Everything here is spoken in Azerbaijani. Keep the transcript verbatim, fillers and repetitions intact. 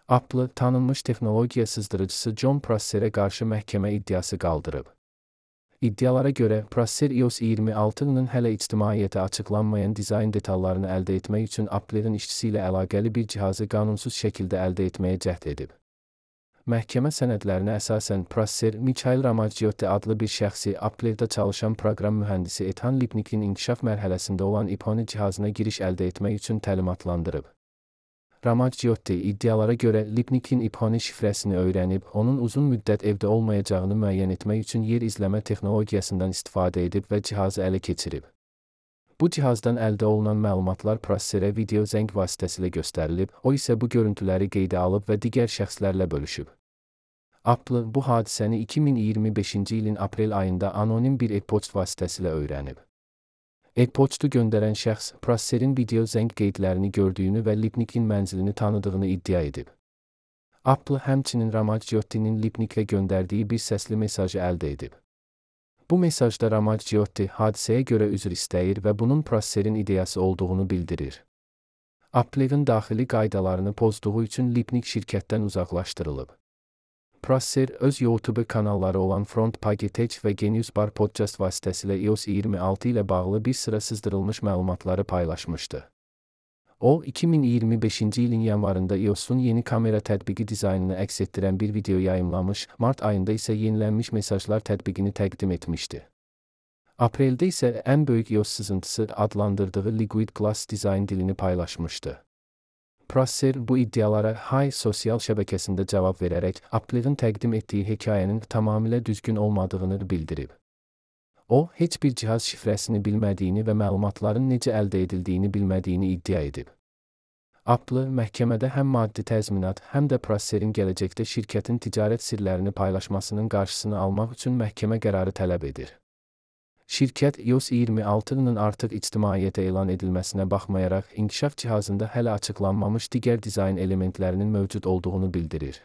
Apple, tanınmış texnologiya sızdırıcısı Jon Prosser'e qarşı məhkəmə iddiası qaldırıb. İddialara görə, Prosser i O S iyirmi altının hələ ictimaiyyətə açıqlanmayan dizayn detallarını əldə etmək üçün Apple'ın işçisi ilə əlaqəli bir cihazı qanunsuz şəkildə əldə etməyə cəhd edib. Məhkəmə sənədlərinə əsasən Prosser, Mikhail Ramazzotti adlı bir şəxsi Apple'da çalışan proqram mühəndisi Ethan Lipnikin inkişaf mərhələsində olan iPhone cihazına giriş əldə etmək üçün təlimatlandırıb. Ramazzotti iddialara görə Lipnikin iPhone şifrəsini öyrənib, onun uzun müddət evdə olmayacağını müəyyən etmək üçün yer izləmə texnologiyasından istifadə edib və cihazı ələ keçirib. Bu cihazdan əldə olunan məlumatlar Prosserə video zəng vasitəsilə göstərilib, o isə bu görüntüləri qeydə alıb və digər şəxslərlə bölüşüb. Apple bu hadisəni iki min iyirmi beşinci ilin aprel ayında anonim bir e-poçt vasitəsilə öyrənib. E-poçtu göndərən şəxs, Prosserin video zəng qeydlərini gördüyünü və Lipnikin mənzilini tanıdığını iddia edib. Apple həmçinin Ramazzottinin Lipnikə göndərdiyi bir səsli mesajı əldə edib. Bu mesajda Ramazzotti hadisəyə görə üzr istəyir və bunun Prosserin ideyası olduğunu bildirir. Apple'ın daxili qaydalarını pozduğu üçün Lipnik şirkətdən uzaqlaşdırılıb. Prosser, öz YouTube kanalları olan Front Page Tech və Genius Bar Podcast vasitəsilə i O S iyirmi altı ilə bağlı bir sıra sızdırılmış məlumatları paylaşmışdı. O, iki min iyirmi beşinci ilin yanvarında i O S'un yeni kamera tətbiqi dizaynını əks etdirən bir video yayımlamış, mart ayında isə yenilənmiş mesajlar tətbiqini təqdim etmişdi. Apreldə isə ən böyük i O S sızıntısı adlandırdığı Liquid Glass dizayn dilini paylaşmışdı. Prosser bu iddialara Hay sosial şəbəkəsində cavab verərək Apple'ın təqdim etdiyi hekayənin tamamilə düzgün olmadığını bildirib. O, heç bir cihaz şifrəsini bilmədiyini və məlumatların necə əldə edildiyini bilmədiyini iddia edib. Apple, məhkəmədə həm maddi təzminat, həm də Prosserin gələcəkdə şirkətin ticarət sirlərini paylaşmasının qarşısını almaq üçün məhkəmə qərarı tələb edir. Şirkət i O S iyirmi altının artıq ictimaiyyətə elan edilməsinə baxmayaraq, inkişaf cihazında hələ açıqlanmamış digər dizayn elementlərinin mövcud olduğunu bildirir.